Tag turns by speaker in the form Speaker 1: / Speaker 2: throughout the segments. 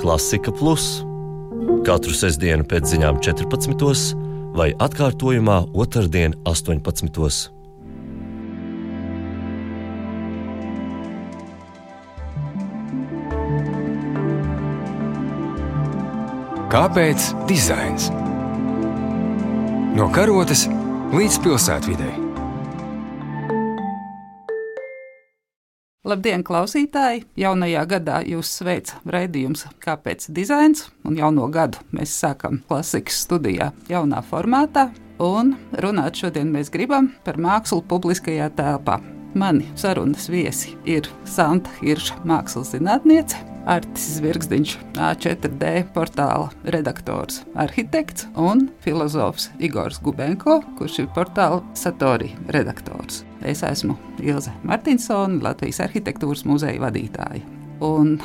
Speaker 1: Klasika Plus katru sestdienu pēc ziņām 14. vai atkārtojumā otrdien 18.
Speaker 2: Kāpēc dizains? No karotes līdz pilsētvidei.
Speaker 3: Labdien, klausītāji! Jaunajā gadā jūs sveic raidījums Kāpēc dizains? Un jauno gadu mēs sākam klasikas studijā jaunā formātā. Un runāt šodien mēs gribam par mākslu publiskajā telpā. Mani sarunas viesi ir Santa Hirša, mākslas zinātniece, Artis Zvirgzdiņš, A4D portāla redaktors, arhitekts un filozofs Igors Gubenko, kurš ir portāla Satori redaktors. Es esmu Ilze Martinsone, Latvijas arhitektūras muzeja vadītāja. Un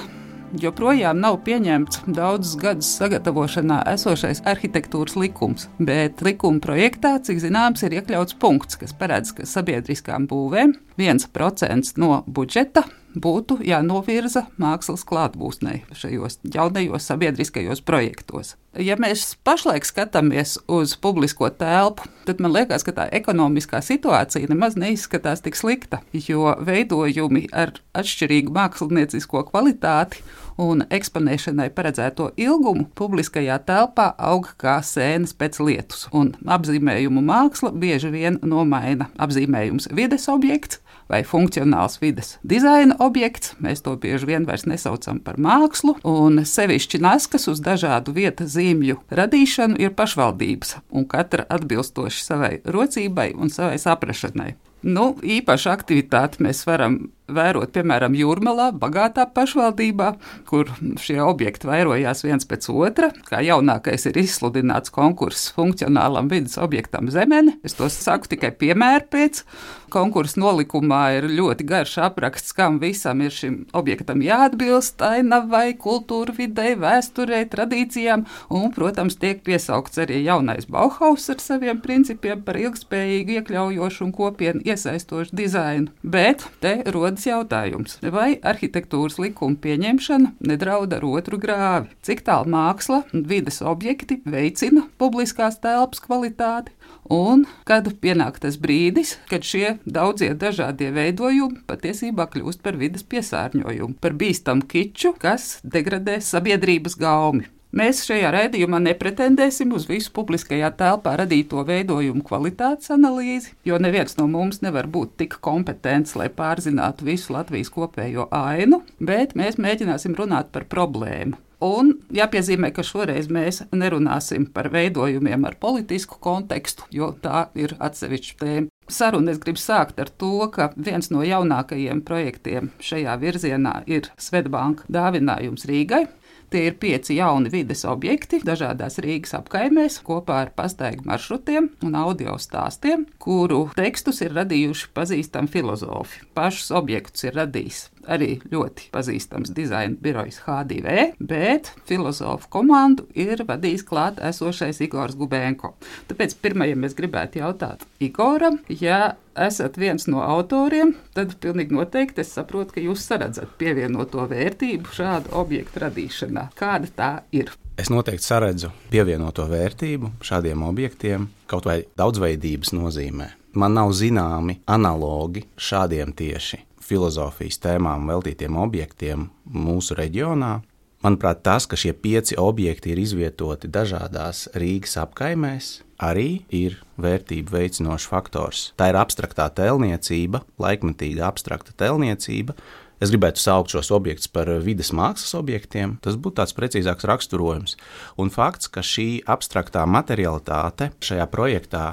Speaker 3: joprojām nav pieņemts daudzus gadus sagatavošanā esošais arhitektūras likums, bet likuma projektā, cik zināms, ir iekļauts punkts, kas paredz, ka sabiedriskām būvēm 1% no budžeta būtu jānovirza mākslas klātbūtnei šajos jaunajos sabiedriskajos projektos. Ja mēs pašlaik skatāmies uz publisko telpu, tad man liekas, ka tā ekonomiskā situācija nemaz neizskatās tik slikta, jo veidojumi ar atšķirīgu māksliniecisko kvalitāti un eksponēšanai paredzēto ilgumu publiskajā telpā aug kā sēnes pēc lietus, un apzīmējumu māksla bieži vien nomaina apzīmējums vides objekts vai funkcionāls vides dizaina objekts. Mēs to bieži vien vairs nesaucam par mākslu, un sevišķi naskas uz dažādu vietas zīmju radīšanu ir pašvaldības, un katra atbilstoši savai rocībai un savai saprašanai. Īpašu aktivitāti mēs varam vērot, piemēram, Jūrmalā, bagātā pašvaldībā, kur šie objekti vairojās viens pēc otra. Kā jaunākais ir izsludināts konkurss funkcionālam vides objektam Zemene. Es to saku tikai piemēru pēc. Konkursa nolikumā ir ļoti garš apraksts, kam visam ir šim objektam jāatbilst, ainavai, kultūra videi, vēsturei, tradīcijām, un, protams, tiek piesaukts arī jaunais Bauhaus ar saviem principiem par ilgspējīgu, iekļaujošu un kopienu iesaistošu dizainu. Bet te rodas jautājums, vai arhitektūras likuma pieņemšana nedraud ar otru grāvi? Cik tālu māksla un vides objekti veicina publiskās telpas kvalitāti? Un kad pienāk tas brīdis, kad šie daudzie dažādie veidojumi patiesībā kļūst par vides piesārņojumu, par bīstamu kiču, kas degradē sabiedrības gaumi. Mēs šajā raidījumā nepretendēsim uz visu publiskajā telpā radīto veidojumu kvalitātes analīzi, jo neviens no mums nevar būt tik kompetents, lai pārzinātu visu Latvijas kopējo ainu, bet mēs mēģināsim runāt par problēmu. Un jāpiezīmē, ka šoreiz mēs nerunāsim par veidojumiem ar politisku kontekstu, jo tā ir atsevišķa tēma. Sarunu es gribu sākt ar to, ka viens no jaunākajiem projektiem šajā virzienā ir Svedbanka dāvinājums Rīgai. Tie ir 5 jauni vides objekti dažādās Rīgas apkaimēs kopā ar pastaigu maršrutiem un audio stāstiem, kuru tekstus ir radījuši pazīstami filozofi. Pašus objektus ir radījis arī ļoti pazīstams dizaina birojs H2E, bet filozofu komandu ir vadījis klāt esošais Igors Gubenko. Tāpēc pirmajam es gribētu jautāt Igoram, ja esat viens no autoriem, tad pilnīgi noteikti es saprotu, ka jūs saredzat pievienoto vērtību šādu objektu radīšanā. Kāda tā ir?
Speaker 4: Es noteikti saredzu pievienoto vērtību šādiem objektiem kaut vai daudzveidības nozīmē. Man nav zināmi analogi šādiem tieši filozofijas tēmām veltītiem objektiem mūsu reģionā. Manuprāt, tas, ka šie 5 objekti ir izvietoti dažādās Rīgas apkaimēs, arī ir vērtību veicinošs faktors. Tā ir abstraktā tēlniecība, laikmetīga abstrakta tēlniecība. Es gribētu saukt šos objektus par vides mākslas objektiem. Tas būtu tāds precīzāks raksturojums. Un fakts, ka šī abstraktā materialitāte šajā projektā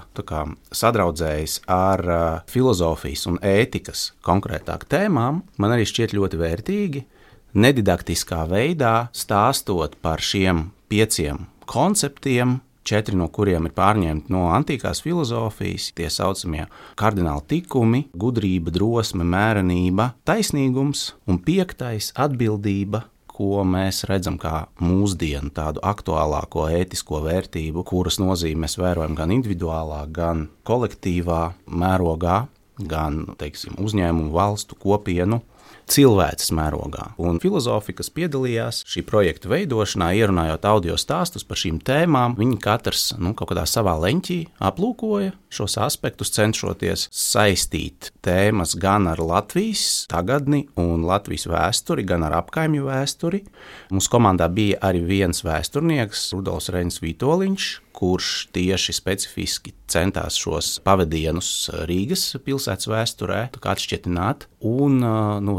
Speaker 4: sadraudzējas ar filozofijas un ētikas konkrētāk tēmām, man arī šķiet ļoti vērtīgi. Nedidaktiskā veidā stāstot par šiem 5 konceptiem, 4 no kuriem ir pārņemti no antīkās filozofijas, tie saucamie kardināli tikumi, gudrība, drosme, mērenība, taisnīgums, un 5. atbildība, ko mēs redzam kā mūsdienu tādu aktuālāko ētisko vērtību, kuras nozīmi mēs vērojam gan individuālā, gan kolektīvā mērogā, gan, uzņēmumu, valstu, kopienu cilvēces mērogā. Un filozofi, kas piedalījās šī projekta veidošanā, ierunājot audio stāstus par šīm tēmām, viņi katrs kaut kādā savā leņķī aplūkoja šos aspektus, cenšoties saistīt tēmas gan ar Latvijas tagadni un Latvijas vēsturi, gan ar apkaimju vēsturi. Mūsu komandā bija arī viens vēsturnieks, Rudolfs Reinis Vitoļņš, kurš tieši specifiski centās šos pavadienus Rīgas pilsētas vēsturē atšķietināt. Un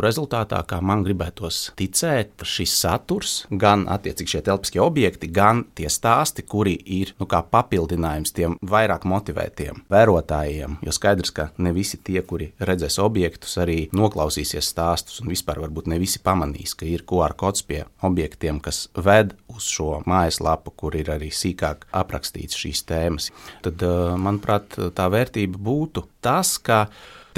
Speaker 4: rezultātā, kā man gribētos ticēt, šis saturs, gan attiecīgi šie telpiskie objekti, gan tie stāsti, kuri ir kā papildinājums tiem vairāk motivētiem vērotājiem, jo skaidrs, ka ne visi tie, kuri redzēs objektus, arī noklausīsies stāstus, un vispār varbūt ne visi pamanīs, ka ir QR kods pie objektiem, kas ved uz šo mājaslapu, kur ir arī sīkāk aprakstīts šīs tēmas. Tad, manuprāt, tā vērtība būtu tas, ka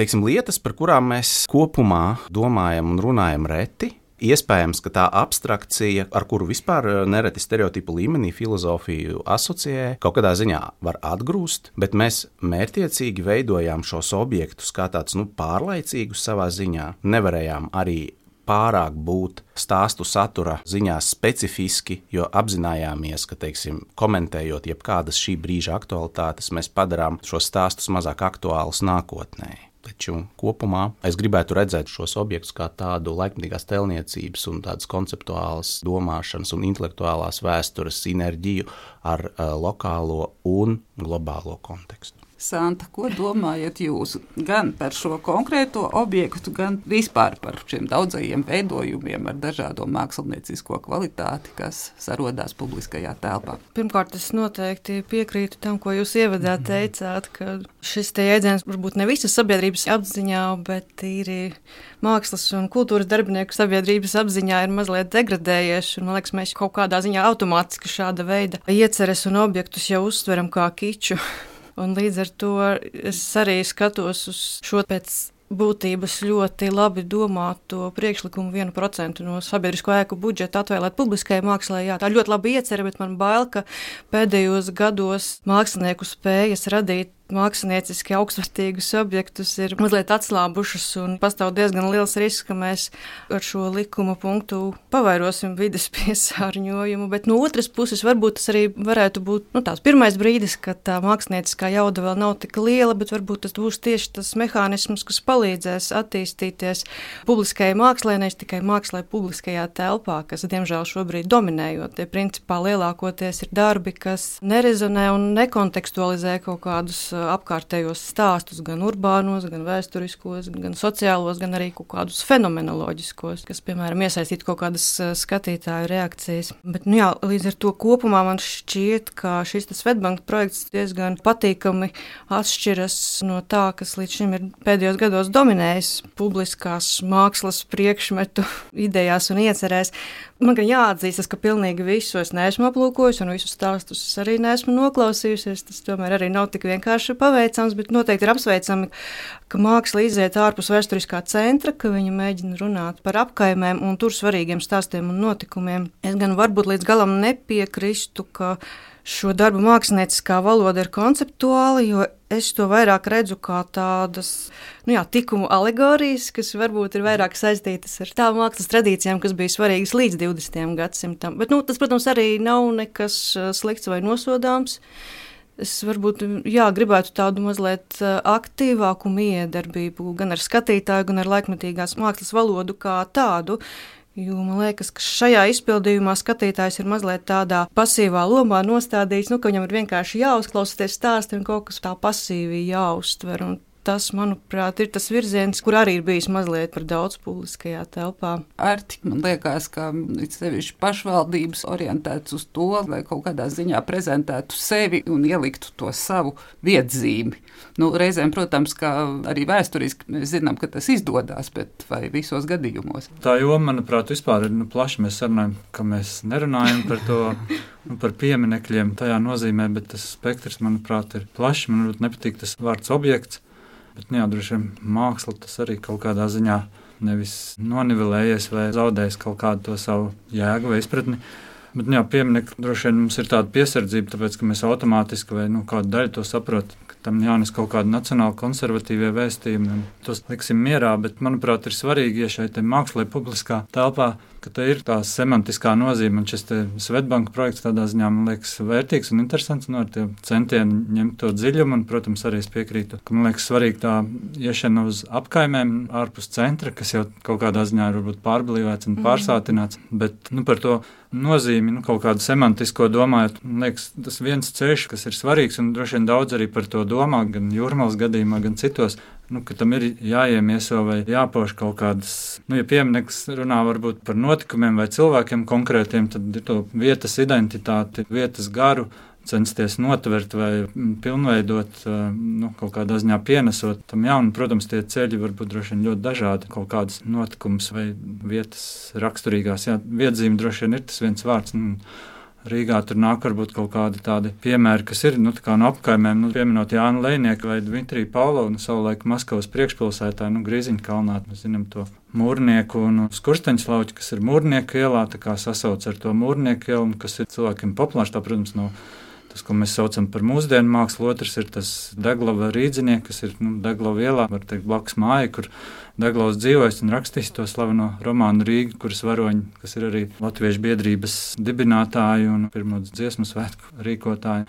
Speaker 4: lietas, par kurām mēs kopumā domājam un runājam reti, iespējams, ka tā abstrakcija, ar kuru vispār nereti stereotipu līmenī filozofiju asociē, kaut kādā ziņā var atgrūst, bet mēs mērķtiecīgi veidojām šos objektus kā tāds pārlaicīgus savā ziņā. Nevarējām arī pārāk būt stāstu satura ziņā specifiski, jo apzinājāmies, ka, komentējot jebkādas šī brīža aktualitātes, mēs padarām šos stāstus mazāk aktuālus nākotnē. Taču kopumā es gribētu redzēt šos objektus kā tādu laikmatīgās tēlniecības un tādas konceptuālas domāšanas un intelektuālās vēstures sinerģiju ar lokālo un globālo kontekstu.
Speaker 3: Santa, ko domājat jūs gan par šo konkrēto objektu, gan vispār par šiem daudzajiem veidojumiem ar dažādo māksliniecisko kvalitāti, kas sarodās publiskajā telpā?
Speaker 5: Pirmkārt, es noteikti piekrītu tam, ko jūs ievadā teicāt, ka šis te jēdziens varbūt ne visas sabiedrības apziņā, bet ir mākslas un kultūras darbinieku sabiedrības apziņā ir mazliet degradējies, un man liekas, mēs kaut kādā ziņā automātiski šāda veida ieceres un objektus jau uztveram kā kiču. Un līdz ar to es arī skatos uz šo pēc būtības ļoti labi domāto priekšlikumu 1% no sabiedrisko ēku budžeta atvēlēt publiskajai mākslai. Jā, tā ļoti labi iecerē, bet man bail, ka pēdējos gados mākslinieku spējas radīt mākslinieciski augstvērtīgus objektus ir mazliet atslābušas un pastāv diezgan liels risks, ka mēs ar šo likuma punktu pavairosim vides piesārņojumu, bet no otras puses varbūt tas arī varētu būt tāds pirmais brīdis, kad tā mākslinieciskā jauda vēl nav tik liela, bet varbūt tas būs tieši tas mehānisms, kas palīdzēs attīstīties publiskajai mākslai, nevis tikai mākslai publiskajā telpā, kas diemžēl šobrīd dominējot. Tie principā lielākoties ir darbi, kas nerezonē un nekontekstualizē kaut kādus apkārtējos stāstus, gan urbānos, gan vēsturiskos, gan sociālos, gan arī kaut kādus fenomenoloģiskos, kas, piemēram, iesaistītu kaut kādas skatītāju reakcijas. Bet, līdz ar to kopumā man šķiet, ka šis Swedbank projekts diezgan patīkami atšķiras no tā, kas līdz šim ir pēdējos gados dominējis publiskās mākslas priekšmetu idejās un iecerēs. Man gan jāatzīstas, ka pilnīgi visu es neesmu aplūkojusi un visus stāstus arī neesmu noklausījusies. Tas tomēr arī nav tik vienkārši paveicams, bet noteikti ir apsveicami, ka māksla iziet ārpus vēsturiskā centra, ka viņa mēģina runāt par apkaimēm un tur svarīgiem stāstiem un notikumiem. Es gan varbūt līdz galam nepiekristu, ka šo darbu mākslinieciskā valoda ir konceptuāla, jo es to vairāk redzu kā tādas tikumu alegorijas, kas varbūt ir vairāk saistītas ar tām mākslas tradīcijām, kas bija svarīgas līdz 20. gadsimtam. Bet tas, protams, arī nav nekas slikts vai nosodāms. Es varbūt gribētu tādu mazliet aktīvāku miedarbību gan ar skatītāju, gan ar laikmetīgās mākslas valodu kā tādu. Jo man liekas, ka šajā izpildījumā skatītājs ir mazliet tādā pasīvā lomā nostādīts, ka viņam ir vienkārši jāuzklausīties stāsti un kaut kas tā pasīvi jāuztver. Un tas, manuprāt, ir tas virziens, kur arī ir bijis mazliet par daudz publiskajā telpā.
Speaker 3: Arti, man liekas, ka sevišķi pašvaldības orientēts uz to, lai kaut kādā ziņā prezentētu sevi un ieliktu to savu vietzīmi. Reizēm, protams, ka arī vēsturiski mēs zinām, ka tas izdodas, bet vai visos gadījumos?
Speaker 6: Tā joma, manuprāt, vispār ir plaši. Mēs sarunājam, ka mēs nerunājam par to, par pieminekļiem tajā nozīmē, bet tas spektrs, manuprāt, ir plašs. Man nepatīk tas vārds objekts. Bet, droši vien māksla tas arī kaut kādā ziņā nevis nonivelējies vai zaudējis kaut kādu to savu jēgu vai izpratni. Bet, pieminekļi droši vien mums ir tāda piesardzība, tāpēc, ka mēs automātiski vai kādu daļu to saprotam, ka tam jānes kaut kādi nacionāli konservatīvie vēstījumi, un tos liksim mierā, bet, manuprāt, ir svarīgi, ja šai te mākslai publiskā telpā, ka te ir tā semantiskā nozīme, un šis te Svetbanka projekts tādā ziņā, man liekas, vērtīgs un interesants, no ar tie centieni ņemt to dziļumu, un, protams, arī es piekrītu, ka, man liekas, svarīgi tā iešana uz apkaimēm ārpus centra, kas jau kaut kādā ziņā ir varbūt pārblīvēts un pārsātināts, bet, par to nozīmi, kaut kādu semantisko domājot, man liekas, tas viens ceļš, kas ir svarīgs, un droši vien daudz arī par to domā, gan Jūrmalas gadījumā, gan citos, ka tam ir jāiemieso vai jāpauž kaut kādas, ja piemineklis runā varbūt par notikumiem vai cilvēkiem konkrētiem, tad ir to vietas identitāti, vietas garu, censties notvert vai pilnveidot, kaut kādā ziņā pienesot tam jaunu. Protams, tie ceļi var būt droši vien ļoti dažādi, kaut kādas notikumus vai vietas raksturīgās. Jā, viedzīme droši vien ir tas viens vārds. Rīgā tur nāk varbūt kaut kādi tādi piemēri, kas ir, no apkaimēm, pieminot Jānu Lejnieku vai Dmitriju Pavlovu, savulaik Maskavas priekšpilsētāju, Grīziņkalnā, mēs zinām to Mūrnieku un Skursteņslauķi, kas ir Mūrnieku ielā, tā kā sasauc ar to Mūrnieku ielu, kas ir cilvēkiem populārs, tā, protams, no tas, ko mēs saucam par mūsdienu mākslu. Otrs ir tas Deglava rīdzinieks, kas ir Deglava ielā, var teikt, blakus māja, kur Deglavs dzīvojis un rakstījis to slaveno romānu Rīga, kuras varoņi, kas ir arī Latviešu biedrības dibinātāji un pirmo dziesmu svētku rīkotāji.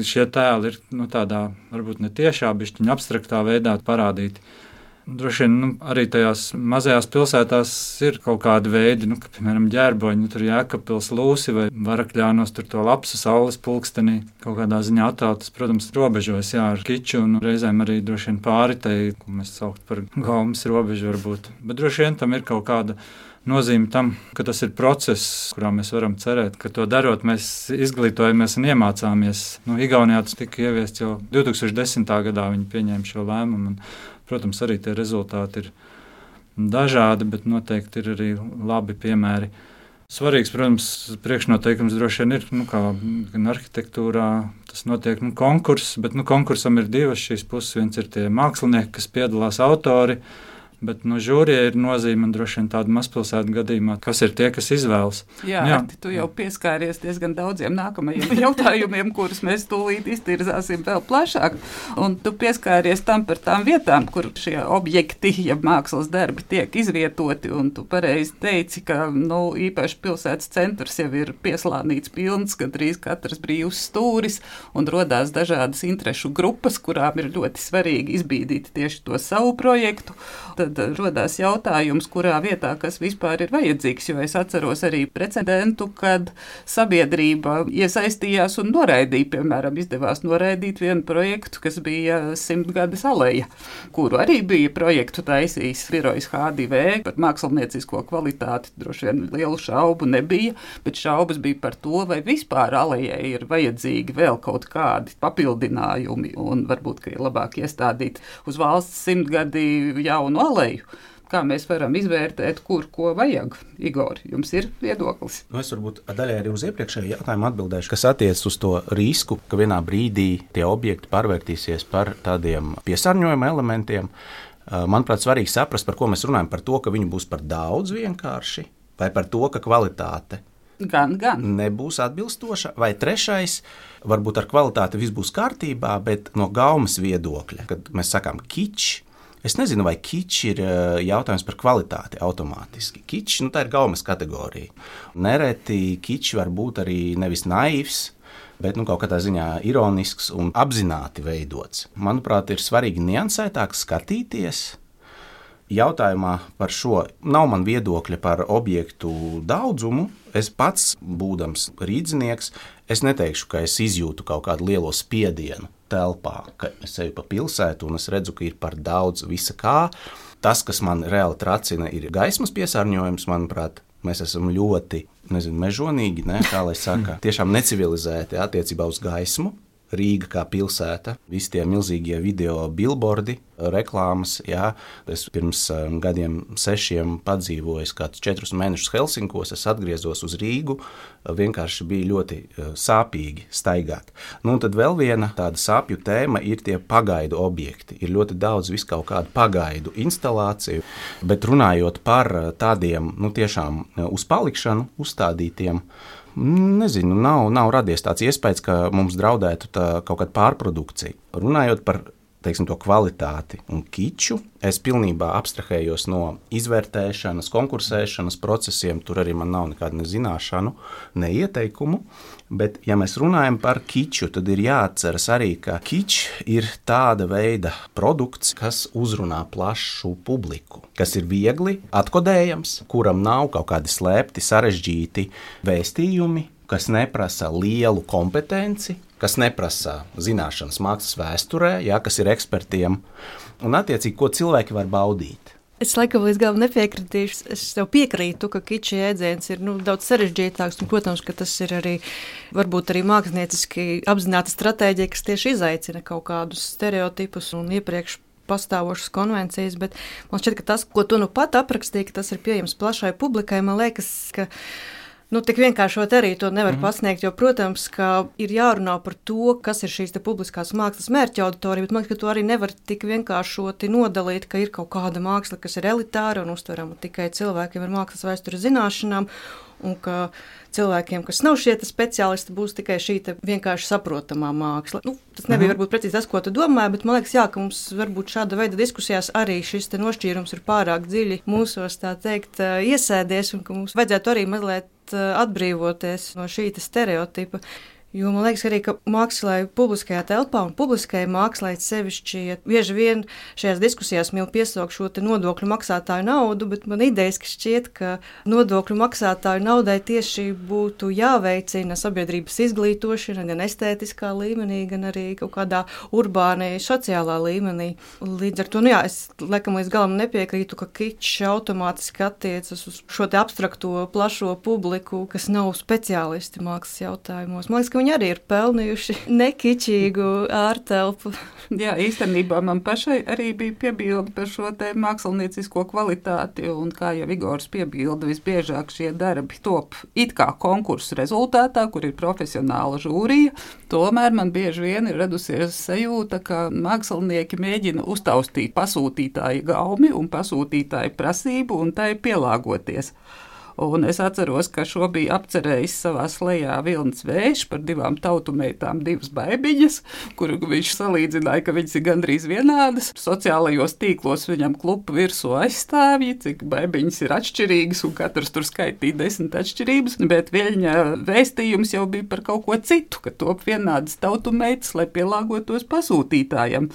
Speaker 6: Šie tēli ir tādā, varbūt ne tiešā, bišķiņa abstraktā veidā parādīti. Droši vien arī tajās mazajās pilsētās ir kaut kādi veidi, ka, piemēram, Ģērboņi, tur Jēkabpils Lūsi vai Varakļānos tur to lapsu saules pulkstenī kaut kādā ziņā attēltas, protams, robežojas, ar kiču un reizēm arī droši vien pāri tai, ko mēs saukt par gaumas robežu varbūt. Bet droši vien tam ir kaut kāda nozīme tam, ka tas ir process, kurā mēs varam cerēt, ka to darot mēs izglītojamies un iemācāmies. Igaunijā tas tika ieviests jau 2010. gadā, viņi pieņēma šo lēmumu. Protams, arī tie rezultāti ir dažādi, bet noteikti ir arī labi piemēri. Svarīgs, protams, priekšnoteikums droši vien ir, kā gan arhitektūrā, tas notiek konkurss, bet konkursam ir divas šīs puses. Viens ir tie mākslinieki, kas piedalās autori, bet žūrijai ir nozīme un droši vien tāda mazpilsētu gadījumā, kas ir tie, kas izvēlas.
Speaker 3: Jā. Tu jau pieskāries diezgan daudziem nākamajiem jautājumiem, kurus mēs tūlīt iztirzāsim vēl plašāk. Un tu pieskāries tam par tām vietām, kur šie objekti, ja mākslas darbi tiek izvietoti, un tu pareizi teici, ka īpaši pilsētas centrs jau ir pieslānīts pilns, gandrīz katrs brīvs stūris, un rodās dažādas interešu grupas, kurām ir ļoti svarīgi izbīdīt tieši to savu projektu. Tad rodās jautājums, kurā vietā kas vispār ir vajadzīgs, jo es atceros arī precedentu, kad sabiedrība iesaistījās un noraidīja, piemēram, izdevās noraidīt vienu projektu, kas bija 100-gades aleja, kuru arī bija projektu taisījis birojs H2V par māksliniecisko kvalitāti. Droši vien lielu šaubu nebija, bet šaubas bija par to, vai vispār alejai ir vajadzīgi vēl kaut kādi papildinājumi, un varbūt, ka ir labāk iestādīt uz valsts 100-gadi jaunu aleju. Kā mēs varam izvērtēt, kur ko vajag? Igor, jums ir viedoklis?
Speaker 4: Es varbūt daļai arī uz iepriekšējo jautājumu atbildēšu, kas attiecas uz to risku, ka vienā brīdī tie objekti pārvērtīsies par tādiem piesārņojuma elementiem. Manuprāt, svarīgi saprast, par ko mēs runājam, par to, ka viņi būs par daudz vienkārši, vai par to, ka kvalitāte
Speaker 3: gan
Speaker 4: nebūs atbilstoša, vai trešais, varbūt ar kvalitāti viss būs kārtībā, bet no gaumas viedokļa, kad mēs sakām kičs, es nezinu, vai kičs ir jautājums par kvalitāti automātiski. Kičs, tā ir gaumas kategorija. Nereti kičs var būt arī nevis naivs, bet kaut kādā ziņā ironisks un apzināti veidots. Manuprāt, ir svarīgi niansētāk skatīties. Jautājumā par šo nav man viedokļa par objektu daudzumu. Es pats, būdams rīdzinieks, es neteikšu, ka es izjūtu kaut kādu lielo spiedienu telpā, ka es eju pa pilsētu un es redzu, ka ir par daudz visa kā. Tas, kas man reāli tracina, ir gaismas piesārņojums, manuprāt. Mēs esam ļoti, mežonīgi, kā lai saka, tiešām necivilizēti attiecībā uz gaismu. Rīga kā pilsēta, visi tie milzīgie video billboardi, reklāmas. Jā. Es pirms gadiem 6 padzīvoju kādus 4 mēnešus Helsinkos, es atgriezos uz Rīgu, vienkārši bija ļoti sāpīgi staigāt. Un tad vēl viena tāda sāpju tēma ir tie pagaidu objekti. Ir ļoti daudz viskaut kādu pagaidu instalāciju, bet runājot par tādiem, tiešām uz palikšanu uzstādītiem, nezinu, nav radies tāds iespējas, ka mums draudētu kaut kāda pārprodukcija. Runājot par to kvalitāti un kiču, es pilnībā abstrahējos no izvērtēšanas, konkursēšanas procesiem, tur arī man nav nekāda nezināšanu, ne ieteikumu, bet ja mēs runājam par kiču, tad ir jāatceras arī, ka kičs ir tāda veida produkts, kas uzrunā plašu publiku, kas ir viegli atkodējams, kuram nav kaut kādi slēpti, sarežģīti vēstījumi, kas neprasa lielu kompetenci, kas neprasa zināšanas mākslas vēsturē, kas ir ekspertiem, un attiecīgi, ko cilvēki var baudīt.
Speaker 5: Es laikam līdz galam nepiekritīšu. Es tev piekrītu, ka kiča jēdziens ir daudz sarežģītāks, un, protams, ka tas ir arī varbūt arī mākslinieciski apzināta stratēģija, kas tieši izaicina kaut kādus stereotipus un iepriekš pastāvošas konvencijas, bet man šķiet, ka tas, ko tu pat aprakstīji, ka tas ir pieejams plašai publikai, man liekas, ka tik vienkāršot arī to nevar pasniegt, jo, protams, ka ir jārunā par to, kas ir šīs publiskās mākslas mērķa auditorija, bet man liekas, ka to arī nevar tik vienkāršoti nodalīt, ka ir kaut kāda māksla, kas ir elitāra un uztverama tikai cilvēkiem ar mākslas vēstures zināšanām, un ka cilvēkiem, kas nav šie speciālisti, būs tikai šī vienkārši saprotamā māksla. Tas nebija varbūt precīzi tas, ko tu domāji, bet man liekas, ka mums varbūt šāda veida diskusijās arī šis nošķīrums ir pārāk dziļi mūsos, tā teikt, iesēdies, un ka mums vajadzētu arī mazliet atbrīvoties no šī stereotipa. Jo man liekas arī, ka mākslai publiskajā telpā un publiskajai mākslai sevišķi bieži vien šajās diskusijās mīl piesaukt šo nodokļu maksātāju naudu, bet man idejiski šķiet, ka nodokļu maksātāju naudai tieši būtu jāveicina sabiedrības izglītošana gan estētiskā līmenī, gan arī kaut kādā urbānai sociālā līmenī. Līdz ar to, es laikam līdz galam nepiekrītu, ka kičs automātiski attiecas uz šo abstrakto plašo publiku, kas nav speciālisti mākslas jautājumos. Man liekas, ka viņi arī ir pelnījuši nekičīgu ārtelpu.
Speaker 3: Jā, īstenībā man pašai arī bija piebilde par šo māksliniecisko kvalitāti, un kā jau Igors piebilda, visbiežāk šie darbi top it kā konkursu rezultātā, kur ir profesionāla žūrija. Tomēr man bieži vien ir radusies sajūta, ka mākslinieki mēģina uztaustīt pasūtītāju gaumi un pasūtītāju prasību un tai pielāgoties. Un es atceros, ka šo bija apcerējis savā slejā Vilnis Vējš par 2 tautumeitām, 2 baibiņas, kuru viņš salīdzināja, ka viņas ir gandrīz vienādas. Sociālajos tīklos viņam klupa virsū aizstāvji, cik baibiņas ir atšķirīgas, un katrs tur skaitīja 10 atšķirības, bet viņa vēstījums jau bija par kaut ko citu, ka top vienādas tautumeitas, lai pielāgotos pasūtītājam.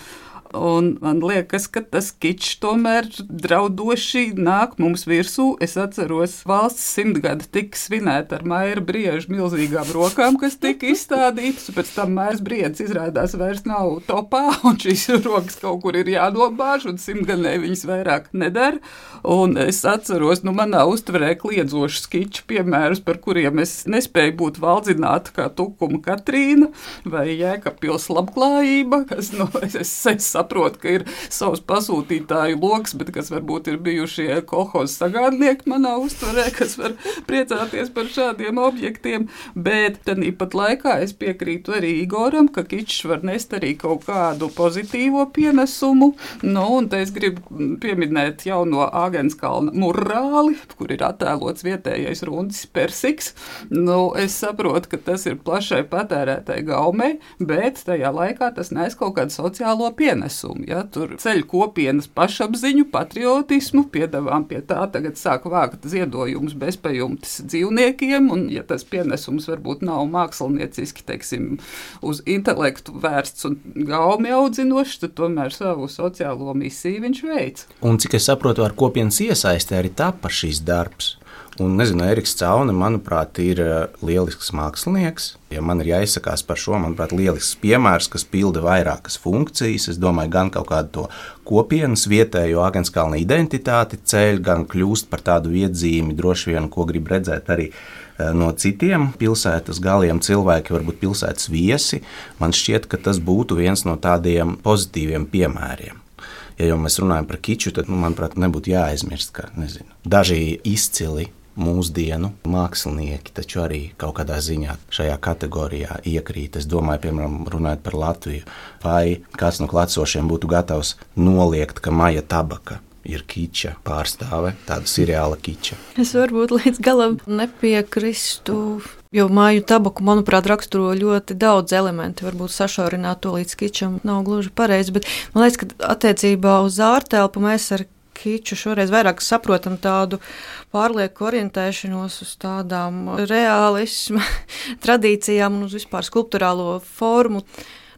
Speaker 3: Un man liekas, ka tas kičs tomēr draudoši nāk mums virsū. Es atceros, valsts 100 gada tika svinēta ar Maira Brieža milzīgām rokām, kas tika izstādītas. Pēc tam Mairs Briedis izrādās vairs nav topā, un šīs rokas kaut kur ir jānobāž, un 100 gadē viņas vairāk nedara. Un es atceros, manā uztverē kliedzošus kiču piemērus, par kuriem es nespēju būt valdzināta, kā Tukuma Katrīna vai Jēkabpils labklājība, kas, es saprotu, ka ir savs pasūtītāju loks, bet kas varbūt ir bijušie kolhozu sagādnieki manā uztverē, kas var priecāties par šādiem objektiem, bet tāpat laikā es piekrītu arī Igoram, ka kičs var nest arī kaut kādu pozitīvo pienesumu, un te es gribu pieminēt jauno Āgenskalna murāli, kur ir attēlots vietējais Rundis Persiks. Es saprotu, ka tas ir plašai patērētai gaumei, bet tajā laikā tas nes kaut kādu sociālo pienesumu. Ja, tur ceļ kopienas pašapziņu, patriotismu, piedāvām pie tā tagad sāk vākt ziedojumus bezpajumtes dzīvniekiem, un ja tas pienesums varbūt nav mākslinieciski, teiksim, uz intelektu vērsts un gaumi audzinošs, tad tomēr savu sociālo misiju viņš veic.
Speaker 4: Un cik es saprotu, ar kopienas iesaistē arī tapa šīs darbs. Un, Eriks Caune, manuprāt, ir lielisks mākslinieks. Ja man ir jāizsakās par šo, manuprāt, lielisks piemērs, kas pilda vairākas funkcijas. Es domāju, gan kaut kādu to kopienas vietējo Āgenskalna identitāti ceļ, gan kļūst par tādu iedzīmi, droši vien, ko grib redzēt arī no citiem pilsētas galiem cilvēki, varbūt pilsētas viesi. Man šķiet, ka tas būtu viens no tādiem pozitīviem piemēriem. Ja jau mēs runājam par kiču, tad, manuprāt, nebūtu jāaizmirst, ka daži izcili mūsdienu mākslinieki taču arī kaut kādā ziņā šajā kategorijā iekrīt. Es domāju, piemēram, runājot par Latviju, vai kāds no klātsošiem būtu gatavs noliegt, ka Maija Tabaka ir kiča pārstāve, tāda seriāla kiča.
Speaker 5: Es varbūt līdz galam nepiekristu, jo Maiju Tabaku, manuprāt, raksturo ļoti daudz elementi. Varbūt sašaurināt to līdz kičam nav gluži pareizi, bet man liekas, ka attiecībā uz ārtelpu mēs ar kiču šoreiz vairāk saprotam tādu pārlieku orientēšanos uz tādām reālisma tradīcijām un uz vispār skulpturālo formu.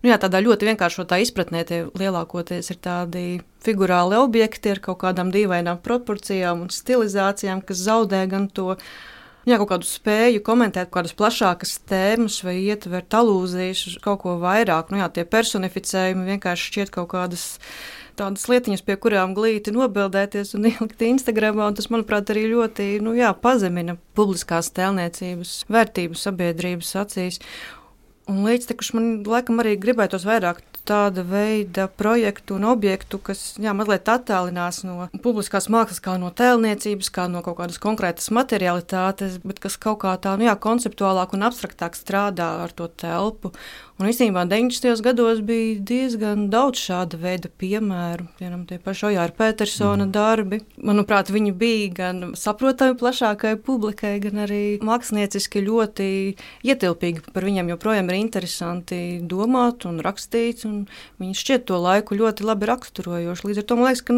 Speaker 5: Tādā ļoti vienkāršotā izpratnē tie lielākoties ir tādi figurāli objekti ar kaut kādām dīvainām proporcijām un stilizācijām, kas zaudē gan to kaut kādu spēju komentēt, kādas plašākas tēmas vai ietvert alūzijas uz kaut ko vairāk. Tie personificējumi vienkārši šķiet kaut kādas tādas lietiņas, pie kurām glīti nobildēties un ielikt Instagramā, un tas, manuprāt, arī ļoti pazemina publiskās tēlniecības vērtību sabiedrības acīs. Un līdztekus man laikam arī gribētos vairāk tāda veida projektu un objektu, kas mazliet attālinās no publiskās mākslas, kā no tēlniecības, kā no kaut kādas konkrētas materialitātes, bet kas kaut kā tā konceptuālāk un abstraktāk strādā ar to telpu. Un īstenībā 90. gados bija diezgan daudz šāda veida piemēru. Piemēram, tie paši Ojāra Petersona darbi. Manuprāt, viņi bija gan saprotami plašākai publikai, gan arī mākslinieciski ļoti ietilpīgi. Par viņiem joprojām ir interesanti domāt un rakstīt, un viņi šķiet to laiku ļoti labi raksturojoši. Līdz ar to man liekas, ka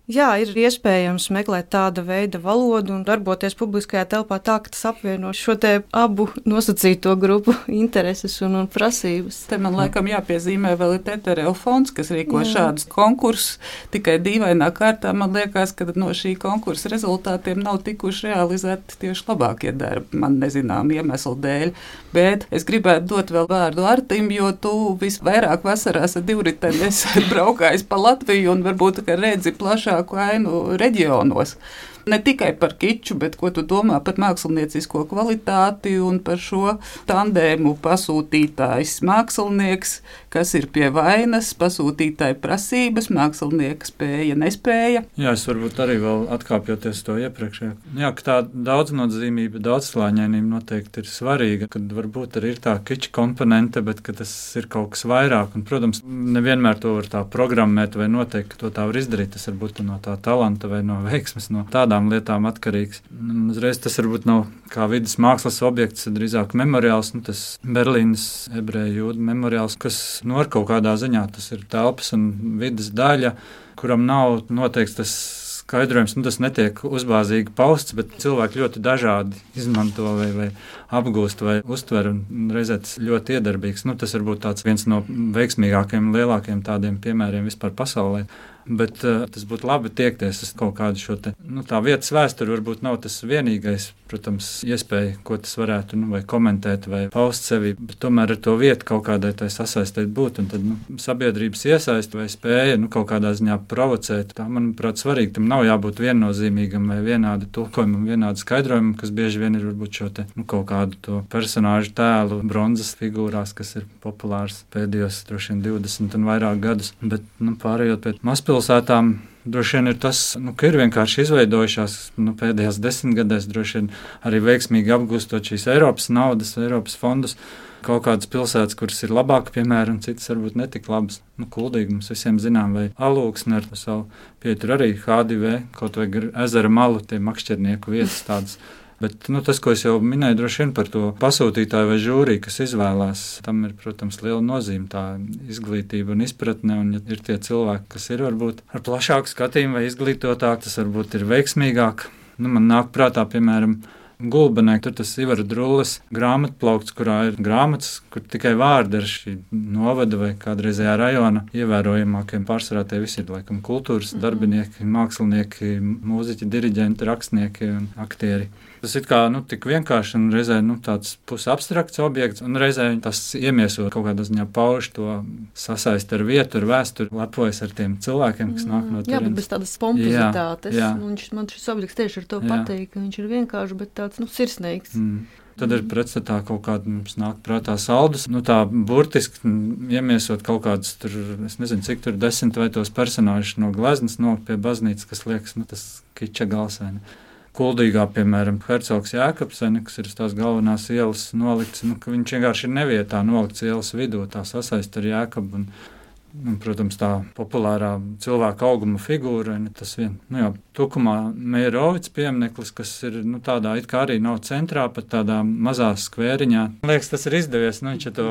Speaker 5: ir iespējams meklēt tāda veida valodu un darboties publiskajā telpā tā, ka tas apvieno šo te abu nosacīto grupu intereses un prasības.
Speaker 3: Te man laikam jāpiezīmē vēl ir Tetereva fonds, kas rīko šādus konkursus. Tikai dīvainā kārtā man liekas, ka no šī konkursa rezultātiem nav tikuši realizēti tieši labākie darbi, man nezinām iemeslu dēļ. Bet es gribētu dot vēl vārdu Artim, jo tu visvairāk vasarās ar divriteni esi braukājis pa Latviju un varbūt, ka redzi plašāku ainu reģionos. Ne tikai par kiču, bet ko tu domā par māksliniecisko kvalitāti un par šo tandēmu pasūtītājs mākslinieks, kas ir pie vainas, pasūtītāja prasības, mākslinieka spēja, nespēja.
Speaker 6: Jā, es varbūt arī vēl atkāpjoties to iepriekšējā. Jā, ka tā daudznozīmība, daudzslāņainība noteikti ir svarīga, kad varbūt arī ir tā kiča komponente, bet ka tas ir kaut kas vairāk. Un, protams, nevienmēr to var tā programmēt vai noteikt, ka to tā var izdarīt. Tas varbūt no tā talanta vai no veiksmes, no tādām lietām atkarīgs. Uzreiz tas varbūt nav kā vidas mākslas objekts, drīzāk memoriāls, tas Berlīnas ebreju jūdu memoriāls, kas ar kaut kādā ziņā tas ir telpas un vidas daļa, kuram nav noteikts tas skaidrojums, tas netiek uzbāzīgi pausts, bet cilvēki ļoti dažādi izmanto vai apgūst vai uztver, un reizē tas ļoti iedarbīgs. Tas varbūt tāds viens no veiksmīgākajiem, lielākajiem tādiem piemēriem vispār pasaulē. Bet tas būtu labi tiekties uz kaut kādu šo te, tā vietas vēsturi varbūt nav tas vienīgais, protams, iespēja, ko tas varētu, vai komentēt, vai paust sevi, bet tomēr ar to vietu kaut kādai tai sasaistēt būt, un tad, sabiedrības iesaist vai spēja, kaut kādā ziņā provocēt. Tā, manuprāt, svarīgi, tam nav jābūt viennozīmīgam vai vienādu tulkojumam, vienādu skaidrojumu, kas bieži vien ir varbūt šo te, kaut kādu to personāžu tēlu bronzas figūrās, kas ir populārs pēdējos, droši vien 20 un vairāk gadus, bet, pārējot pēc mazpilsētām, droši vien ir tas, ka ir vienkārši izveidojušās pēdējās 10 gadēs, droši vien arī veiksmīgi apgūstot šīs Eiropas naudas, Eiropas fondus, kaut kādas pilsētas, kuras ir labāk, piemēram, citas varbūt netik labas. Kuldīgi mums visiem zinām, vai Alūksne ar savu pietur arī H2V, kaut vai ezera malu, tie makšķernieku vietas tādas. Bet tas, ko es jau minēju, droši vien par to pasūtītāju vai žūriju, kas izvēlās, tam ir, protams, liela nozīme tā izglītība un izpratne, un ja ir tie cilvēki, kas ir varbūt ar plašāku skatījumu vai izglītotāk, tas varbūt ir veiksmīgāk. Man nāk prātā, piemēram, Gulbenē, tur tas Ivara Drulles grāmatplaukts, kurā ir grāmatas, kur tikai vārdi ar šī novada vai kādreizējā rajona ievērojamākiem pārsvarā tie visi ir, laikam, kultūras darbinieki, mākslinieki, mūziķi, diriģenti, rakstnieki un aktieri. Tas ir kā, tik vienkārši un reizē, tāds pusabstrakts objekts, un reizē tas iemieso kaut kādā ziņā pauž to sasaist ar vietu, ar vēsturi, lepojas ar tiem cilvēkiem, kas nāk no turienes.
Speaker 5: Jā, bet bez tādas pompozitātes. Man šis objekts tieši ar to patīk, ka viņš ir vienkārši, bet tāds, sirsnīgs.
Speaker 6: Tad ir pretstatā kaut kāda mums nāk prātā saldus. Tā burtiski iemiesot kaut kādus tur, es nezinu, cik tur 10 vai tos personāžus no gleznas pie baznīcas, kas liekas, tas kiča galsēni. Kuldīgā, piemēram, Hercogs Jēkabs, kas ir uz tās galvenās ielas nolikts, ka viņš vienkārši ir nevietā nolikts ielas vidū, tā sasaist ar Jēkabu. Un, protams, tā populārā cilvēka auguma figūra, tas vien. Tukumā Meirovics piemineklis, kas ir tādā it kā arī nav centrā, pat tādā mazā skvēriņā. Man liekas, tas ir izdevies, viņš ir to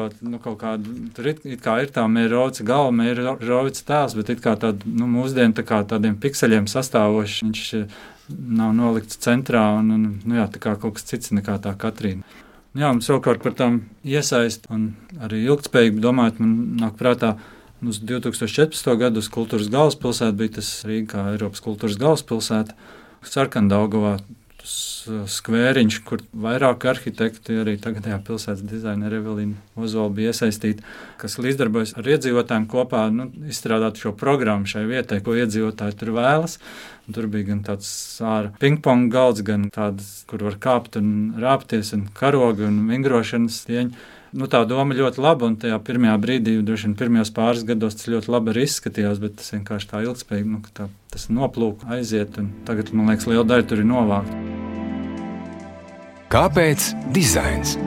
Speaker 6: kaut kādu, tur it kā ir tā Meirovica galva, Meirovica tēls, bet it kā tādu, mūsdienu tā kā tādiem pikseļiem sastāvoši, viņš nav nolikts centrā un tā kā kaut kas cits nekā tā Katrīna. Un savukārt par tām iesaist un arī ilgtspējīgi domājot, man nāk prātā, uz 2014. gadu uz Kultūras galvaspilsētu bija tas Rīga kā Eiropas kultūras galvaspilsēta, Sarkandaugavā, skvēriņš, kur vairāk arhitekti, arī tagadējā pilsētas dizaineri Evelīna Ozola bija iesaistīta, kas līdzdarbojas ar iedzīvotājiem kopā, izstrādāt šo programmu šai vietai, ko iedzīvotāji tur vēlas. Un tur bija gan tāds āra pingpong galds, gan tāds, kur var kāpt un rāpties, un karogi un vingrošanas tieņi. Tā doma ļoti laba, un tajā pirmajā brīdī, droši vien pirmajos pāris gados tas ļoti labi arī izskatījās, bet tas vienkārši tā ilgspējīgi, tas noplūk, aiziet, un tagad, man liekas, liela daļa tur ir novākta.
Speaker 2: Kāpēc dizains?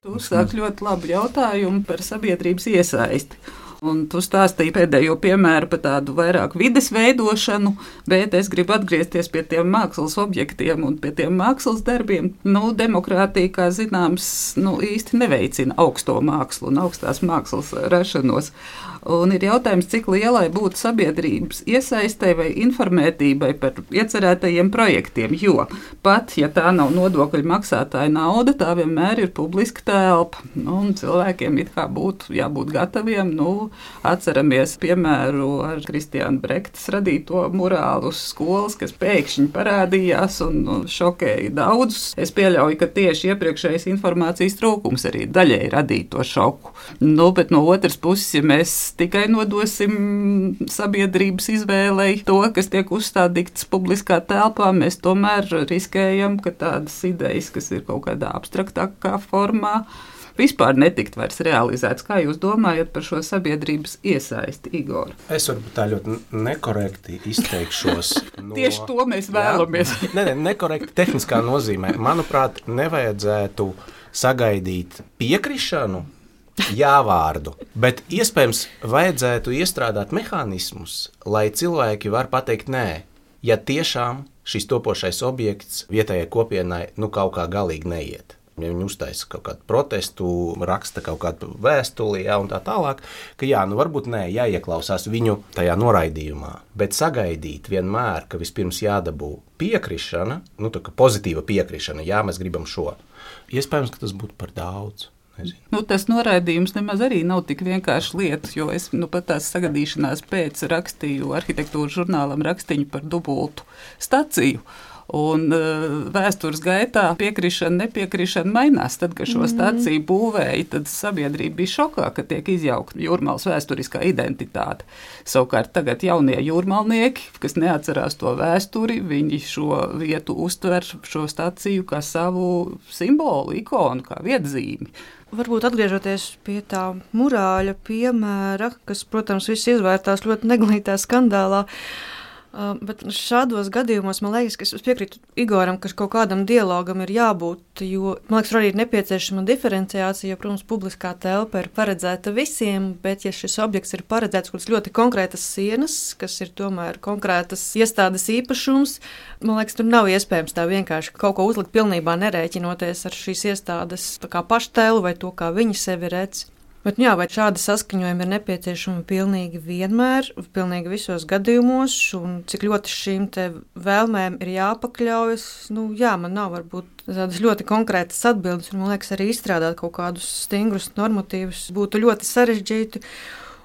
Speaker 3: Tu uzsāk ļoti labu jautājumu par sabiedrības iesaisti. Un tu stāstīji pēdējo piemēru par tādu vairāk vides veidošanu, bet es gribu atgriezties pie tiem mākslas objektiem un pie tiem mākslas darbiem. Demokrātija, kā zināms, īsti neveicina augsto mākslu un augstās mākslas rašanos. Un ir jautājums, cik lielai būtu sabiedrības iesaistei vai informētībai par iecerētajiem projektiem, jo pat, ja tā nav nodokļu maksātāja nauda, tā vienmēr ir publiska telpa. Un cilvēkiem it kā būtu jābūt gataviem, atceramies piemēru ar Kristiāna Brektas radīto murālu uz skolas, kas pēkšņi parādījās un šokēja daudzus. Es pieļauju, ka tieši iepriekšējais informācijas trūkums arī daļēji radīja to šoku. Bet no otras puses, ja mēs tikai nodosim sabiedrības izvēlei to, kas tiek uzstādīts publiskā telpā, mēs tomēr riskējam, ka tādas idejas, kas ir kaut kādā abstraktākā formā, vispār netikt vairs realizēts. Kā jūs domājat par šo sabiedrības iesaisti, Igor?
Speaker 4: Es varbūt tā ļoti nekorekti izteikšos.
Speaker 3: Tieši to mēs vēlamies.
Speaker 4: Nekorekti tehniskā nozīmē. Manuprāt, nevajadzētu sagaidīt piekrišanu, jā-vārdu, bet iespējams vajadzētu iestrādāt mehānismus, lai cilvēki var pateikt nē, ja tiešām šis topošais objekts vietējai kopienai kaut kā galīgi neiet. Ja viņi uztaisa kaut kādu protestu, raksta kaut kādu vēstuli, un tā tālāk, ka varbūt jāieklausās viņu tajā noraidījumā, bet sagaidīt vienmēr, ka vispirms jādabū piekrišana, tā kā pozitīva piekrišana, mēs gribam šo. Iespējams, ka tas būtu par daudz.
Speaker 3: Tas noraidījums nemaz arī nav tik vienkārši lieta, jo es pat tās sagadīšanās pēc rakstīju arhitektūras žurnālam rakstiņu par dubultu staciju. Un vēstures gaitā piekrišana, nepiekrišana mainās. Tad, kad šo staciju būvēja, tad sabiedrība bija šokā, ka tiek izjaukta Jūrmalas vēsturiskā identitāte. Savukārt tagad jaunie jūrmalnieki, kas neatcerās to vēsturi, viņi šo vietu uztver šo staciju kā savu simbolu, ikonu, kā vietzīmi.
Speaker 5: Varbūt atgriežoties pie tā murāļa piemēra, kas, protams, viss izvērtās ļoti neglītā skandālā, bet šādos gadījumos man liekas, ka es piekrītu Igoram, ka kaut kādam dialogam ir jābūt, jo man liekas, arī ir nepieciešama diferenciācija, jo, protams, publiskā telpa ir paredzēta visiem, bet ja šis objekts ir paredzēts kaut kādas ļoti konkrētas sienas, kas ir tomēr konkrētas iestādes īpašums, man liekas, tur nav iespējams tā vienkārši kaut ko uzlikt pilnībā nerēķinoties ar šīs iestādes tā kā paštēlu vai to, kā viņi sevi redz. Bet, vai šādi saskaņojumi ir nepieciešami pilnīgi vienmēr, pilnīgi visos gadījumos, un cik ļoti šīm te vēlmēm ir jāpakļaujas, man nav varbūt tādas ļoti konkrētas atbildes, un man liekas arī izstrādāt kaut kādus stingrus normatīvus būtu ļoti sarežģīti.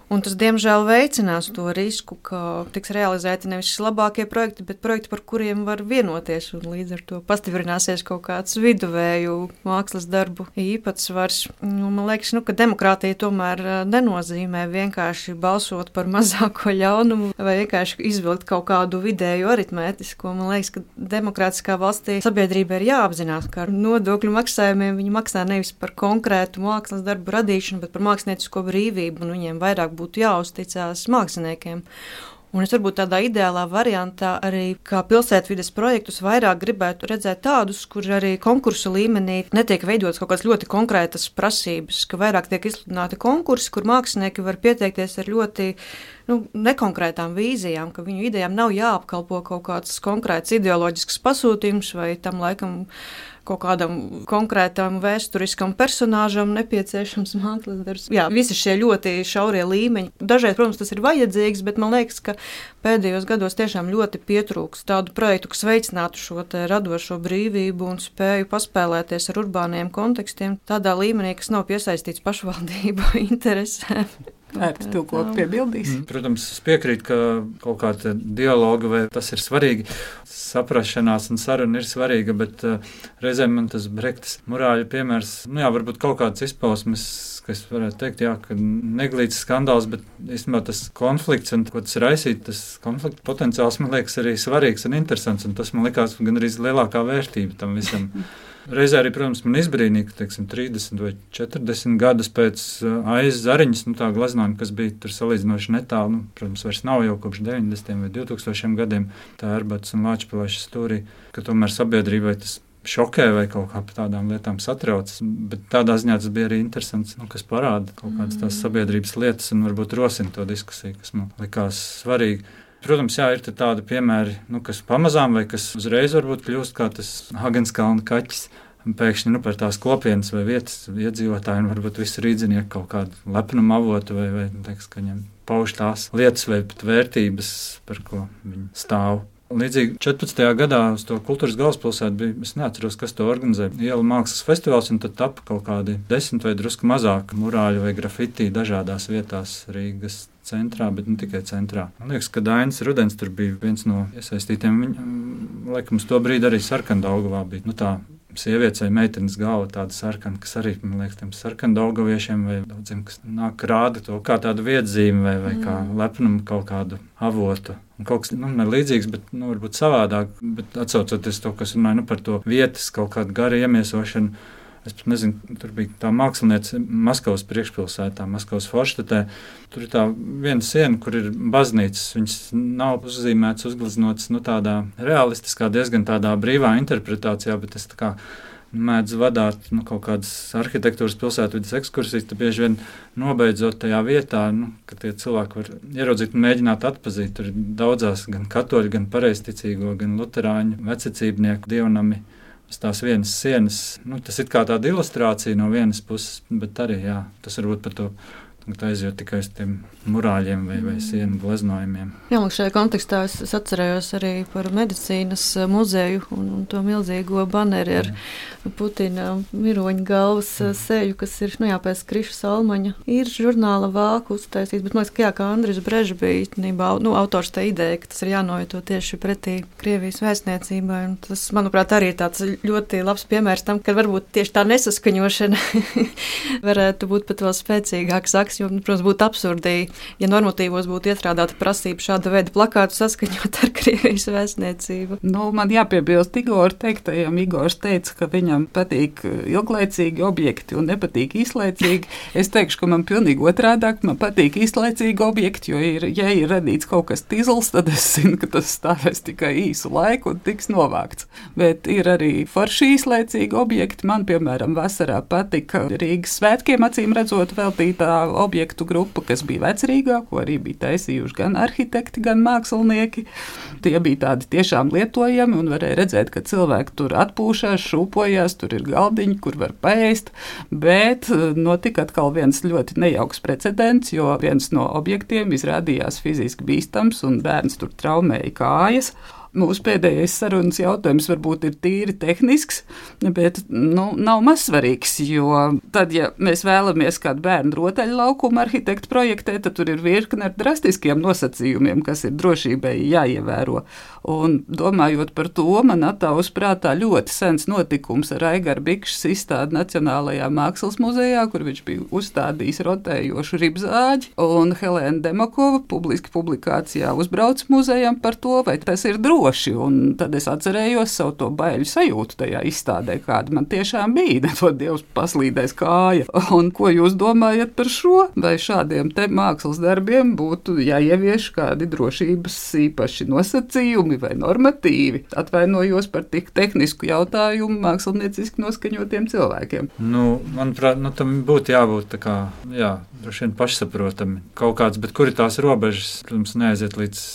Speaker 5: Un tas, diemžēl, veicinās to risku, ka tiks realizēti nevis labākie projekti, bet projekti, par kuriem var vienoties. Līdz ar to pastiprināsies kaut kāds viduvēju mākslas darbu īpatsvars. Man liekas, ka demokrātija tomēr nenozīmē vienkārši balsot par mazāko ļaunumu vai vienkārši izvilkt kaut kādu vidēju aritmētisko. Man liekas, ka demokrātiskā valstī sabiedrība ir jāapzinās, ka ar nodokļu maksājumiem viņi maksā nevis par konkrētu mākslas darbu radīšanu, bet par māksliniecisko brīvību, un viņiem vairāk būtu jāuzticās māksliniekiem. Un es varbūt tādā ideālā variantā arī kā pilsētvides projektus vairāk gribētu redzēt tādus, kur arī konkursu līmenī netiek veidotas kaut kādas ļoti konkrētas prasības, ka vairāk tiek izsludināti konkursi, kur mākslinieki var pieteikties ar ļoti nekonkrētām vīzijām, ka viņu idejām nav jāapkalpo kaut kāds konkrēts ideoloģisks pasūtījums vai tam laikam kaut kādam konkrētam vēsturiskam personāžam nepieciešams mākslas darbs. Jā, visi šie ļoti šaurie līmeņi. Dažreiz, protams, tas ir vajadzīgs, bet man liekas, ka pēdējos gados tiešām ļoti pietrūks tādu projektu, kas veicinātu šo radošo brīvību un spēju paspēlēties ar urbāniem kontekstiem tādā līmenī, kas nav piesaistīts pašvaldību interesēm.
Speaker 3: Vērts tu ko piebildīs?
Speaker 6: Protams, es piekrītu, ka kaut kāda dialoga vai tas ir svarīgi. Saprašanās un saruna ir svarīga, bet reizēm man tas Brektas murāļu piemērs, varbūt kaut kāds izpausmes, kas varētu teikt, ka neglīts skandāls, bet īstenībā tas konflikts un ko tas raisīt, tas konflikta potenciāls man liekas arī svarīgs un interesants, un tas man likās gan arī lielākā vērtība tam visam. Reizē arī, protams, man izbrīnīja, ka 30 vai 40 gadus pēc Aizas Zariņas, tā glaznojuma, kas bija tur salīdzinoši netālu, protams, vairs nav jau kopš 90. vai 2000 gadiem, tā Erbatas un Lāčpilaiša stūrī, ka tomēr sabiedrībai tas šokē vai kaut kā par tādām lietām satrauc, bet tādā ziņā tas bija arī interesants, kas parāda kaut kādas tās sabiedrības lietas un varbūt rosina to diskusiju, kas man likās svarīgi. Protams, ir tādi piemēri, kas pamazām vai kas uzreiz varbūt kļūst kā tas Hagenskalna kaķis. Pēkšņi par tās kopienas vai vietas iedzīvotāji un varbūt visi rīdzinieku kaut kādu lepnumu avotu vai teiks, ka viņiem pauž tās lietas vai pat vērtības, par ko viņi stāv. Līdzīgi 14. gadā uz to kultūras galvaspilsētu bija, es neatceros, kas to organizēja, Ielu mākslas festivāls, un tad tapa kaut kādi 10 vai drusku mazāk murāļu vai grafiti dažādās vietās Rīgas centrā, bet ne tikai centrā. Man liekas, ka Dainis Rudens tur bija viens no iesaistītiem. Laikam, uz to brīdi arī Sarkandaugavā bija. Tā sievietes vai meitenes galva tāda sarkana, kas arī, man liekas, tiem sarkandaugaviešiem vai daudziem, kas nāk rāda to kā tādu viedzīmi vai kā lepnumu kaut kādu avotu. Un kaut kas, ne līdzīgs, bet, varbūt savādāk, bet atsaucoties to, kas runāja, par to vietas kaut kādu garu iemiesošanu. Es pat nezinu, tur bija tā māksliniece Maskavas priekšpilsētā, Maskavas Forštatē. Tur ir tā viena siena, kur ir baznīcas. Viņas nav uzzīmētas, uzgleznotas, tādā realistiskā, diezgan tādā brīvā interpretācijā, bet es tā kā mēdzu vadāt kaut kādas arhitektūras pilsētvides ekskursijas, tad bieži vien nobeidzot tajā vietā, ka tie cilvēki var ieraudzīt un mēģināt atpazīt. Tur ir daudzās gan katoļu, gan pareizticīgo, gan luterāņu vececībnieku dievnami. Tās vienas sienas, tas ir kā tāda ilustrācija no vienas puses, bet arī, tas varbūt par to aiziet tikai uz tiem murāļiem vai sienu gleznojumiem.
Speaker 5: Jā, un šajā kontekstā es atcerējos arī par medicīnas muzeju un to milzīgo baneri ar Putina miroņa galvas seju, kas ir, pēc Kriša Salmaņa. Ir žurnāla vāku uztaisīts, bet man liekas, ka Andris Brežs bija autors tā ideja, ka tas ir jānovieto tieši pretī Krievijas vēstniecībai. Un tas, manuprāt, arī ir tāds ļoti labs piemērs tam, ka varbūt tieši tā nesaskaņošana varētu būt pat vēl spēcīgāks saks, jo, protams, būtu absurdi, ja normatīvos būtu iestrādāta prasība šāda veida plakātu saskaņot ar Krievijas vēstniecību.
Speaker 3: Man jāpiebilst Igora teiktajam. Igors teica, ka viņam patīk ilglaicīgi objekti un nepatīk īslaicīgi. Es teikšu, ka man pilnīgi otrādāk, man patīk īslaicīgi objekti, jo ja ir radīts kaut kas tizls, tad es zinu, ka tas stāvēs tikai īsu laiku un tiks novākts. Bet ir arī forši īslaicīgi objekti. Man, piemēram, vasarā patika Rīgas svētkiem acīm redzot veltītā objektu grupa, kas bija Vecrīgā, ko arī bija taisījuši gan arhitekti, gan mākslinieki. Tie bija tādi tiešām lietojami un varēja redzēt, ka cilvēki tur atpūšās, šūpojās, tur ir galdiņi, kur var paēst, bet notika atkal viens ļoti nejauks precedents, jo viens no objektiem izrādījās fiziski bīstams un bērns tur traumēja kājas. Mūsu pēdējais sarunas jautājums varbūt ir tīri tehnisks, bet nav mazsvarīgs, jo tad, ja mēs vēlamies kādu bērnu rotaļlaukumu arhitektu projektēt, tad tur ir virkne ar drastiskiem nosacījumiem, kas ir drošībai jāievēro. Un domājot par to, man attāvus prātā ļoti sens notikums ar Aigara Bikšas izstādi Nacionālajā mākslas muzejā, kur viņš bija uzstādījis rotējošu ribzāģi, un Helēna Demakova publiski publikācijā uzbrauc muzejam par to, vai tas ir droši. Un tad es atcerējos savu to baiļu sajūtu tajā izstādē, kāda man tiešām bija. Nedod Dievs paslīdēs kāja. Un ko jūs domājat par šo? Vai šādiem te mākslas darbiem būtu jāievieš kādi drošības īpaši nosacījumi vai normatīvi? Atvainojos par tik tehnisku jautājumu mākslinieciski noskaņotiem cilvēkiem.
Speaker 6: Manuprāt, tam būtu jābūt tā kā, droši vien pašsaprotami kaut kāds, bet kur ir tās robežas? Protams, neaiziet līdz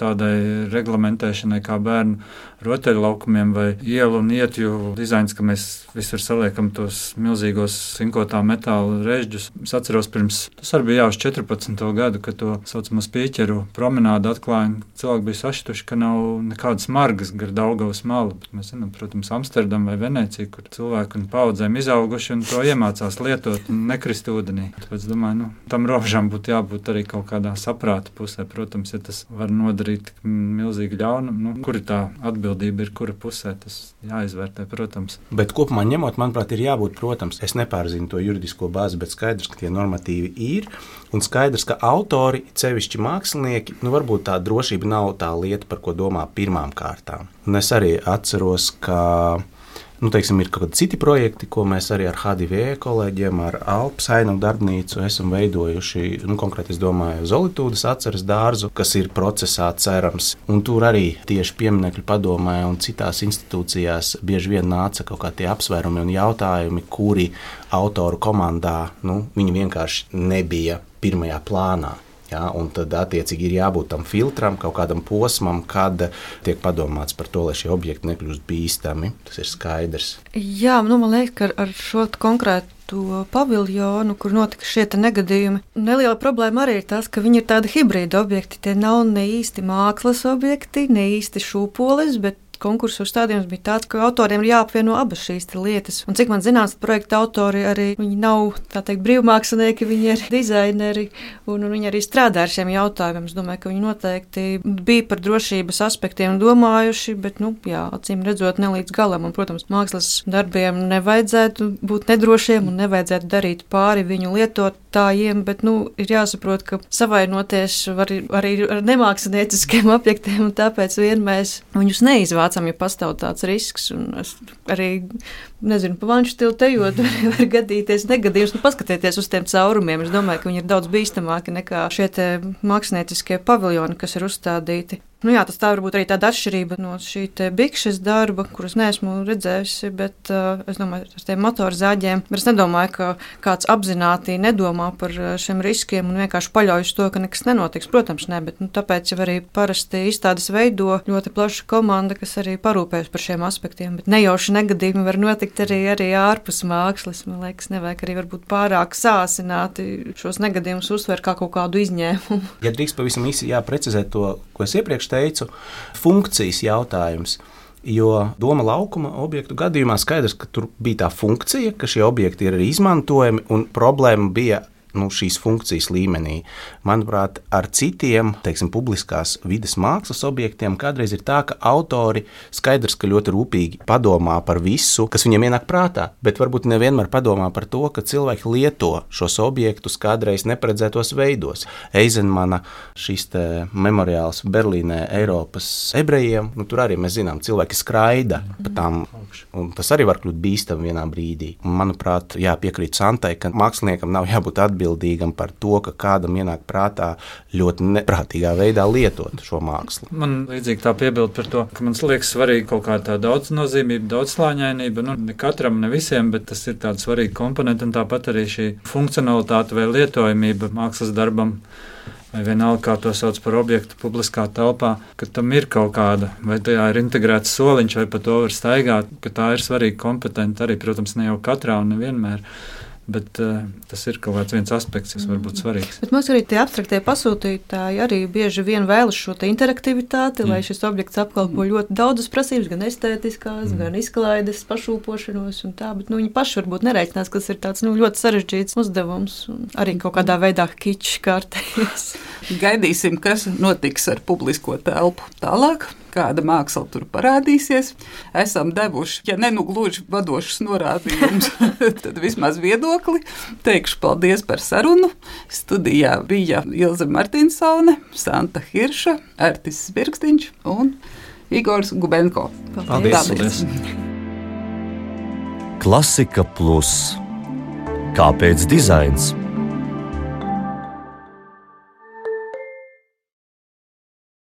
Speaker 6: tādai reglamentēšanai kā bērnu rotaļlaukumiem vai ielu un ietju dizains, ka mēs visur saliekam tos milzīgos sinkotā metāla režģus. Es atceros tas arī bija uz 14. gadu, kad to saucamo Spīķeru promenādu atklāja. Cilvēki bija saštuši, ka nav nekādas margas gar Daugavas malu. Bet mēs zinām, protams, Amsterdam vai Venecija, kur cilvēki un paudzēm izauguši un to iemācās lietot un nekrist ūdenī. Tāpēc domāju, tam robežām būtu jābūt arī kaut kādā saprāta pusē. Protams, ja tas var nodarīt milzīgi ļaunumu, kur ir tā atbildība, ir kura pusē, tas jāizvērtē, protams.
Speaker 4: Bet kopumā ņemot, manuprāt, ir jābūt, protams, es nepārzinu to juridisko bāzi, bet skaidrs, ka tie normatīvi ir, un skaidrs, ka autori, sevišķi mākslinieki, varbūt tā drošība nav tā lieta, par ko domā pirmām kārtām. Un es arī atceros, ka ir kaut kādi citi projekti, ko mēs arī ar HDV kolēģiem, ar Alpu Sainavu darbnīcu esam veidojuši. Konkrēti, es domāju, Zolitūdas atceres dārzu, kas ir procesā cerams. Un tur arī tieši pieminekļu padomē un citās institūcijās bieži vien nāca kaut kā tie apsvērumi un jautājumi, kuri autoru komandā, viņi vienkārši nebija pirmajā plānā. Ja, un tad, attiecīgi, ir jābūt tam filtram, kaut kādam posmam, kad tiek padomāts par to, lai šie objekti nekļūst bīstami. Tas ir skaidrs.
Speaker 5: Jā, man liekas, ka ar šo konkrētu paviljonu, kur notika šie negadījumi, neliela problēma arī ir tas, ka viņi ir tādi hibrīda objekti. Tie nav ne īsti mākslas objekti, ne īsti šūpoles, bet konkursu uzstādījums bija tāds, ka autoriem ir jāapvieno abas šīs lietas. Un cik man zināms, projekta autori arī nav brīvmākslinieki, viņi ir dizaineri un viņi arī strādā ar šiem jautājumiem. Es domāju, ka viņi noteikti bija par drošības aspektiem domājuši, bet, acīm redzot, ne līdz galam. Un, protams, mākslas darbiem nevajadzētu būt nedrošiem un nevajadzētu darīt pāri viņu lietotājiem, bet, ir jāsaprot, ka savainoties var arī ar nemākslinieciskiem objektiem, un tāpēc mēs viņus neizvācam. Ja pastāv tāds risks, un es arī nezinu, pa vanšu stilu tejot, var gadīties negadījums, paskatieties uz tiem caurumiem. Es domāju, ka viņi ir daudz bīstamāki nekā šie mākslinieciskie paviljoni, kas ir uzstādīti. Tas tā varbūt arī tāda atšķirība no šī Bikšas darba, kuras neesmu redzējusi, bet es domāju, ar tiem motorzāģiem. Es nedomāju, ka kāds apzināti nedomā par šiem riskiem un vienkārši paļaujas to, ka nekas nenotiks. Protams, ne, bet tāpēc jau arī parasti izstādes veido ļoti plaša komanda, kas arī parūpējas par šiem aspektiem. Bet nejauši negadījumi var notikt arī ārpus mākslas. Man liekas, nevajag arī varbūt pārāk sāsināti šos negadījumus uzsver kā kaut kādu izņēmumu.
Speaker 4: Ja drīkst pavisam īsi precizēt to, ko es iepriekš teicu, funkcijas jautājums. Jo Doma laukuma objektu gadījumā skaidrs, ka tur bija tā funkcija, ka šie objekti ir arī izmantojami, un problēma bija šīs funkcijas līmenī. Manuprāt, ar citiem, publiskās vides mākslas objektiem kādreiz ir tā, ka autori skaidrs, ka ļoti rūpīgi padomā par visu, kas viņiem ienāk prātā, bet varbūt nevienmēr padomā par to, ka cilvēki lieto šos objektus kādreiz neparedzētos veidos. Eizenmana šis memoriāls Berlīnē Eiropas ebrejiem, tur arī mēs zinām, cilvēki skraida pa tām, un tas arī var kļūt bīstam vienā brīdī. Un, manuprāt, piekrīt Santai, ka māksliniekam nav jābūt atbildīgam par to, ka kādam ienāk prātā ļoti neprātīgā veidā lietot šo mākslu.
Speaker 6: Man līdzīgi tā piebilda par to, ka man liekas svarīgi kaut kā tā daudznozīmība, daudzslāņainība. Ne katram, ne visiem, bet tas ir tāds svarīgi komponenti, un tāpat arī šī funkcionalitāte vai lietojamība mākslas darbam, vai vienalga, kā to sauc par objektu publiskā telpā, ka tam ir kaut kāda, vai tajā ir integrēts soliņš, vai pa to var staigāt, ka tā ir svarīga kompetenta arī, protams, ne jau katrā un nevienmēr. Bet tas ir kaut kāds viens aspekts, kas var būt svarīgs.
Speaker 5: Bet mums arī tie abstraktie pasūtītāji arī bieži vien vēlas šo interaktivitāti, lai šis objekts apkalpo ļoti daudzas prasības, gan estētiskās, gan izklaides, pašūpošanos un tā, bet viņi paši varbūt nereicinās, kas ir tāds ļoti sarežģīts uzdevums un arī kaut kādā veidā kičs kārtējies.
Speaker 3: Gaidīsim, kas notiks ar publisko telpu tālāk. Kāda māksla tur parādīsies. Esam devuši, ja ne gluži vadošas norādījumus, tad vismaz viedokli. Teikšu paldies par sarunu. Studijā bija Ilze Martinsone, Santa Hirša, Artis Birkstiņš un Igors Gubenko.
Speaker 4: Paldies!
Speaker 1: Klasika Plus. Kāpēc dizains?